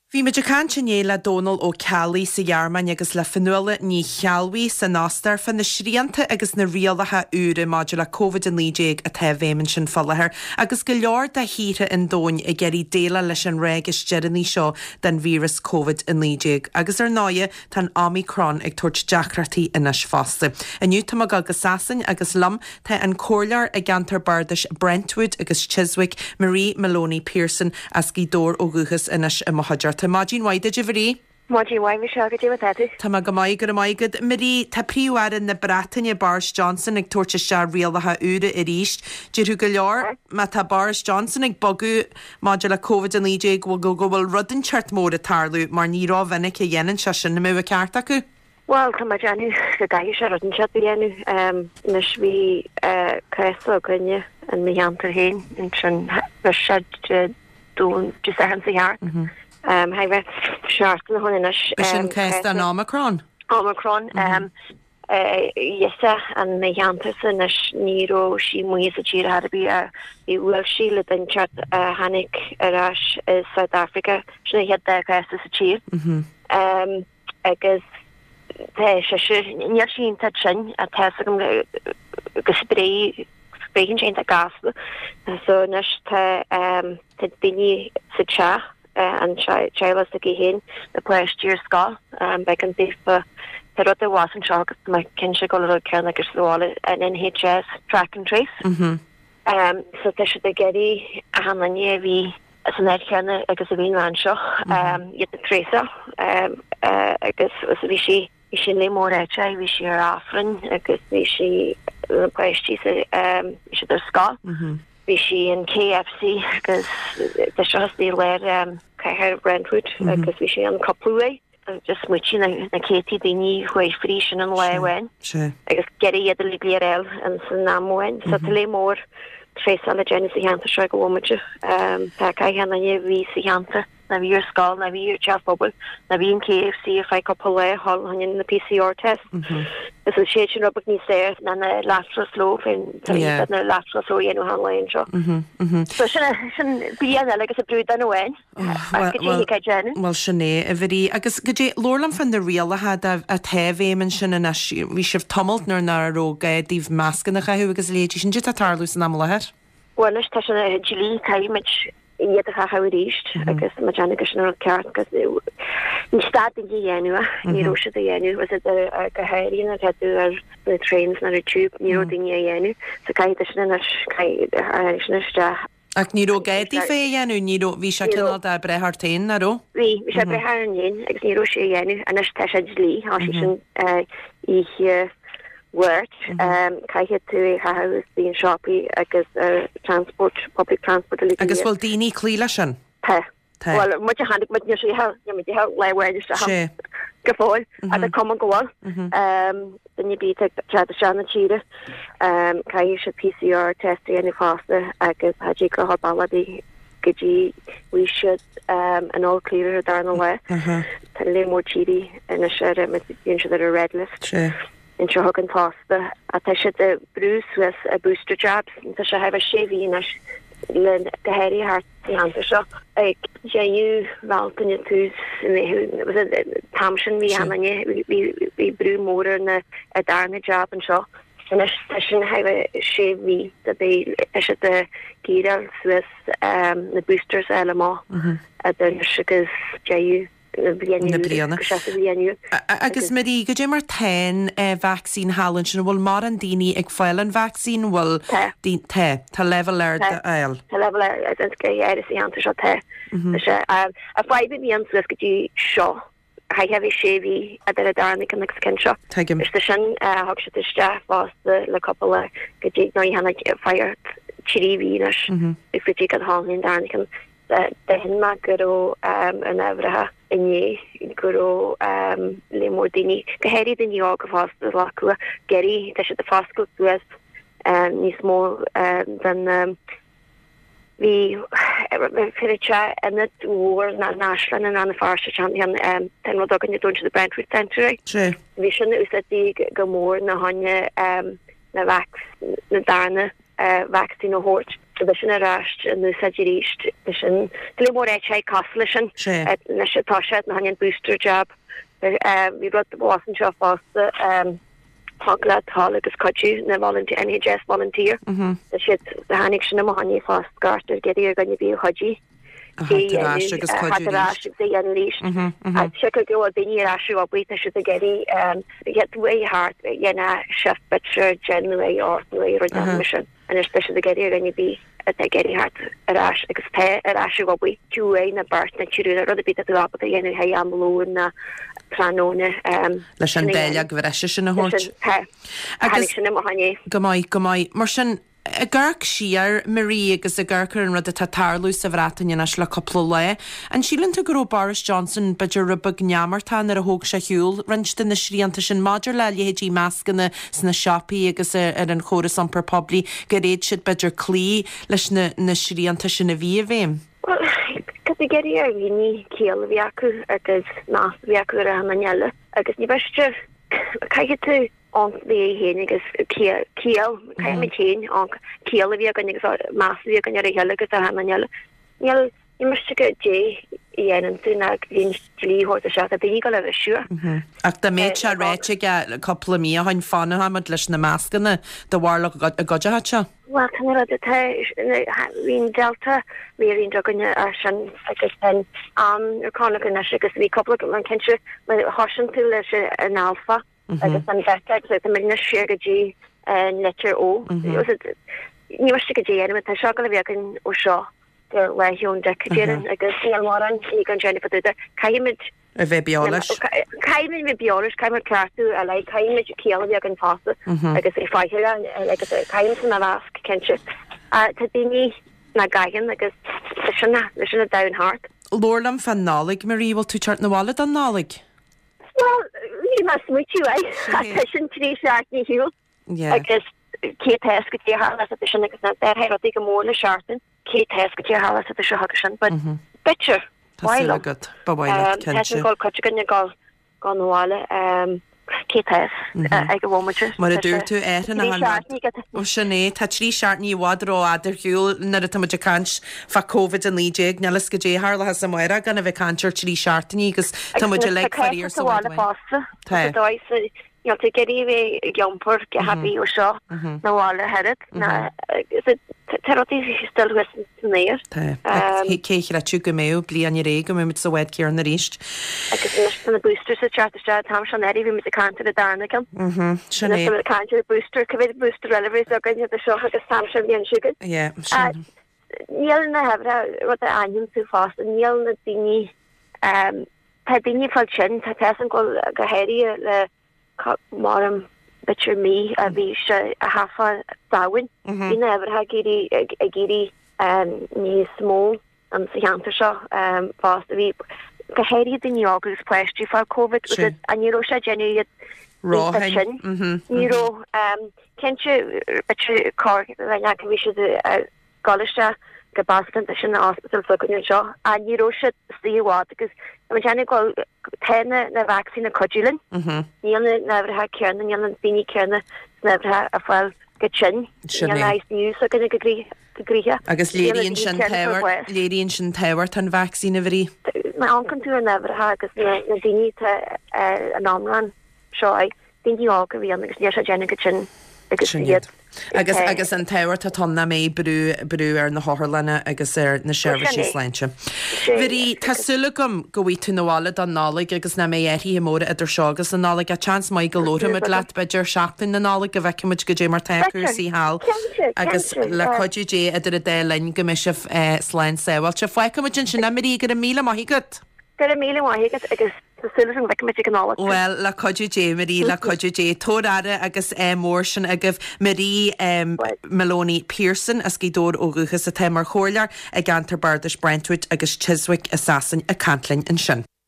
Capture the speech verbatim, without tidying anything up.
Bhí muid ag caint inné le Dónal Ó Ceallaigh sa Ghearmáin agus le Fionnuala Ní Cheallmhaí san Ostair fá na srianta agus na rialacha úra maidir le Covid a naoi déag atá i bhfeidhm ansin fá láthair agus go leor de thíortha an domhain ag iarraidh déileáil leis an ráig is deireanaí seo den víreas Covid a naoi déag. Agus ar ndóighe tá an Omicron ag tabhairt deacrachtaí anois fosta. Inniu tá mé ag dul go Sasain agus liom tá an comhairleoir i gceantar Bardais Brentwood agus Chiswick, Marie Maloney Pearson as Gaoth Dobhair ó dhúchas anois i mo chuideachta. Maidin mhaith duit a Mharie. Maidin mhaith Michelle, goidé mar atá tú. Tá mé go maith, go raibh maith agat. Marie, tá Príomh-Aire na Breataine Boris Johnson ag tabhairt isteach rialacha úra arís. Déarfadh go leor má tá Boris Johnson ag bogadh maidir le Covid a naoi déag go go bhfuil rud inteacht mór ag tarlú mar ní rómhinic a dhéanann sé sin an mbeadh an ceart acu. Well tá mé ag déanamh go gcaithfidh sé rud inteacht a dhéanamh. Anois bhí cás againne in mo cheantar féin ansin bhris sé Dé Dé Sathairn seo thart. Chóir a bheith seachtain ó shin anois. B'shin cás den Omicron? Omicron. Yes in mo cheantarsa anois ní raibh sí amuigh sa tír ar bith bhí bhuail sí le duine inteacht a tháinig ar ais i South Africa sin an chéad dá chás sa tír. Agus tá sise níl sí iontach tinn ach tá a fhios agam go spréigh spréigheann sé iontach gasta so anois tá tá daoine sa teach an teaghlach s'aici féin na páistí ar scoil b'éigean daofa tá rud a bhás anseo agus tá mé cinnte go bhfuil an rud céanna agus sa bhaile an NHS track and trace. Um, so tá siad ag iarraidh achan duine a bhí san áit chéanna agus a bhí an bhean seo um, iad a thraceáil um, uh, agus is bhí sí bhí sí le mór áite bhí sí ar Aifreann agus bhí sí na páistí sa um, bhí siad ar scoil. Bhí sí in KFC agus tá seo i lár um, cathair Brentwood agus bhí sí an cúpla uair. Just smaointigh na na céadtaí daoine chuaigh fríd sin an lá amháin. Sé. Agus gearradh iad uilig le réil an san am amháin. So tá lear mór traceáil le déanamh sa cheantar seo go bhfuil Um, tá gach aon duine a bhí sa cheantar na bhí ar scoil na bhí ar teach pobail na bhí in KFC ar feadh cúpla lá thall na PCR test. Is is sé sin rud beag níos fearr ná na lateral flow féin Yeah. na lateral flow dhéanamh an lá seo. So sin sin bliain eile agus a brúdan amháin. Well, Go dtí go déanamh. Well sin é a Mharie agus goidé labhair liom fan na rialacha atá i bhfeidhm ansin anois bhí sibh tamalt nuair nach raibh gá daoibh mascanna a chaitheamh agus leithéidí sin tá tarlú san am i láthair. Well anois tá sin dlí caithfimid iad a chaitheamh arís agus má déanamh go sin an rud ceart agus ní stad daoine a dhéanamh ní raibh siad a dhéanamh was it go háirithe nuair atá tú ar na trains nó ar tube ní raibh daoine a dhéanamh so caithfidh sin anois caithfidh sin isteach. Ach ní raibh gá daofa é a dhéanamh ní raibh bhí sé Ní raibh. cineál de breith ort féin nach raibh? Bhí bhí sé breith ar an féin agus ní raibh sé a dhéanamh anois tá sé dlí tá sé sin oíche Mháirt caithfidh tú é chaitheamh bíonn siopaí agus ar transport public transport uilig Agus bhfuil daoine cloí leis sin? Tá. Tá. Well muid a tháinig muid níor sé ní muid le bhain isteach Sé. go fóill a cuma go bhfuil duine bí te se na tíre caithfidh siad PCR test a dhéanamh fosta agus tá go bailí go dtí bhí siad an all clear ar darna lá. Tá lear mór tíortha anois ar bíonn siad ar a red list. Sé. Anseo chugainn fosta a tá siad ag brú suas a booster jabs tá sé heah sé mhí anois le go háirithe thart sa cheantar seo ag deireadh Bealtaine tús tam sin bhí anne bhí brú mór ar na a darna jab anseo. Anois tá sin heah sé mhí de bé tá siad ag giaráil suas na boosters eile má a den agus deireadh na bliana Na bliana. go sé bliana. Agus Marie, goidé mar tá an vaccine thall ansin bhfuil mórán daoine ag fáil an vaccine bhfuil Tá. Tá tá level ar Tá. fháil. Tá level ar go ar sa cheantar seo tá. sé a fadhb bhí an suas go dtí seo ha bhí sé mhí idir a darna ceann agus ceann seo. Tuigim. Is sin thug siad isteach fosta le cúpla go dtí nó tháinig fear trí mhí anois is go dtí go tháinig an darna ceann d'aithin mé go raibh an ábhraithe inné go raibh lear mór daoine go háirithe daoine óga fosta acu gerí tá siad ag foscailt suas níos mó den bhí fi ionad mhór na náislan an an farse an ten rud againn dún the Brentwood Centre. Sé. Bhí sin úsáidte go mór na hanne na vac na darna vaccine a thabhairt. Tá sin ar ais in úsáid arís sin go leor é cosúil leis sin anois atá sé na an booster jab bhí rud bhas seo fosta thig leat dul agus cuidiú na volunteer NHS volunteer Tá siad tháinig sin amach inné fosta gairtear ag iarraidh ar dhuine ar bith cuidiú agus arís Se go bhfuil daoine ar ais ag obair tá siad ag iarraidh dhéanamh thart dhéanamh shift b'fhéidir deich nó ocht nó rud sin anois tá siad ag iarraidh ar dhuine ar bith atá ag iarraidh theacht ar ais agus tá ar ais ag obair tú é na beirt na triúr rud ar bith atá ábalta a dhéanamh le am lóin na tráthnóna leis an dáileog bhreise sin a thabhairt. Agus sin amach inné. Go maith go maith mar sin ag amharc siar Marie agus ag amharc ar an rud atá ag tarlú sa Bhreatain anois le cúpla lá. An síleann tú go raibh Boris Johnson b'fhéidir rud beag neamartach nuair a thóg sé ar shiúl roinnt de na srianta sin maidir le leithéidí mascanna sna siopaí agus ar an chóras iompar poiblí gur fhéad siad b'fhéidir cloí leis na, na srianta sin a bhí i bhfeidhm? Well, cad a geirí ar dhaoine ciall a bhí acu agus meas a bhí acu ar an eile agus ní bheiste caithfidh tú an bhí féin agus ciall caithfimid féin an ciall a bhí againn agus meas a bhí againn ar a chéile agus ar an eile. Níl ní miste goidé a dhéanann tú ná bhíonn dlí thabhairt isteach tá daoine go le bheith siúr. Ach dá mbeadh sé ráite aige cúpla mí ó shin fanfaimid leis na mascanna do bharlach a gcuideachta seo. Well tá rud atá bhíonn Delta variant againne ar sin agus an am ar conach anois agus bhí cúpla an cinnte thosaigh tú leis an alpha agus an beta agus tá muid anois siar go dtí an litir O. Ní miste goidé a dhéanamh tá seo go le bheith againn ó seo go lá Sheoin Dic déarfainn agus níl mórán ní gan déanamh fá dtaobh de. Caithfimid a bheith beo leis. Caithfimid bheith beo leis, caithfimid ceartú a leith, caithfimid ciall a bheith againn fosta agus é faichill agus caithfimid san a mheasc cinnte. Tá daoine nach gcaitheann agus leis sin leis sin an domhan thart. Labhair liom fán Nollaig, Marie, bhfuil tú ag teacht 'na bhaile don Nollaig? Well, bhí mé ag smaoitiú air, ach tá sin trí seachtainí ar shiúl. Agus cé tá fhios goidé a tharlós idir sin agus na d'athraigh rudaí go mór le seachtain, cé tá fhios goidé a tharlós idir seo agus sin, but b'fhéidir, Tá súil agat, ba mhaith leat, cinnte. Tá sin ag cuid againn ag dul 'na bhaile, cé tá fhios ag an bhomaite. Mar a dúirt tú, athraíonn achan rud. Ó sin é, tá trí seachtainí i bhfad rófhada ar shiúl nuair atá muid ag caint fá Covid a naoi déag, níl fhios goidé a tharlóchas amárach gan a bheith ag caint ar trí seachtainí agus tá muid uilig faraor sa bhád amháin. Tá. Níl tú ag iarraidh a bheith ag iompar go happy ó seo 'na bhaile oiread ná tá rudaí still thuas san aer. Tá. Cé a chreidfeadh go mbeadh bliain ar aghaidh go mbeidh muid sa bhád céanna arís. Agus anois tá na boosters ag teacht isteach an t-am seo anuraidh bhí muid ag caint ar an darna ceann. Sin é. Anois tá muid ag caint ar booster, cá mhéad booster eile a bheas againn idir seo agus an t-am sin bhliain seo chugainn. Yeah, sin. Níl na huimhreacha rud a aithníonn tú fosta, níl na daoine Tá daoine ag fáil tinn, tá fhios agam go bhfuil go háirithe le maram b'fhéidir mí a bhí sé a thaifeadh Samhain. Bhí na huimhreacha ag éirí ag éirí níos mó sa cheantar seo fosta. Bhí go háirithe daoine óga agus páistí ag fáil Covid agus ní raibh sé ag déanamh iad Róthinn. Ní raibh cinnte b'fhéidir corr dhuine acu bhí siad ag dul isteach go Basildon sin an ospidéal s'againne anseo ach ní raibh siad istigh i bhfad agus tá muid ag dul tá na na vacsaíní ag cuidiú linn. Níl na na huimhreacha céanna, níl na daoine céanna sna huimhreacha ag fáil go tinn. Sin Níl é. na ICU s'againne go grí go gnoitheach. Agus Níl na léiríonn daoine sin céanna ag fáil tábhacht bháis. léiríonn sin tábhacht an vacsaín a Mharie. Má amharcann tú ar na huimhreacha agus na na daoine atá ar an iomlán seo ai daoine óga a bhí ann agus níl sé ag déanamh go tinn agus Sin iad iad. Agus agus an tábhacht atá ann nach mbeidh brú brú ar na hotharlanna agus ar na seirbhísí sláinte. Mharie, tá súil agam go bhfaighidh tú 'na bhaile don Nollaig agus nach mbeidh athruithe móra idir seo agus an Nollaig. Ach seans maith go labharfaimid leat b'fhéidir seachtain na Nollag go bhfeicfimid goidé mar tá cúrsaí thall agus le cuidiú Dé idir an dá linn go mbeidh sibh slán sábháilte. Fágfaimid ansin é, Marie, go raibh míle maith agat. Go raibh míle maith agat agus tá súil agam go bhfeicfimid ag an Nollaig thú. Bhuel, le cuidiú Dé, Marie, le cuidiú Dé. Tabhair aire agus ádh mór sin agaibh. Marie Moloney Pearson as Gaoth Dobhair ó dhúchas atá mar chomhairleoir i gceantar Bardais Brentwood agus Chiswick i Sasain ag caint linn ansin.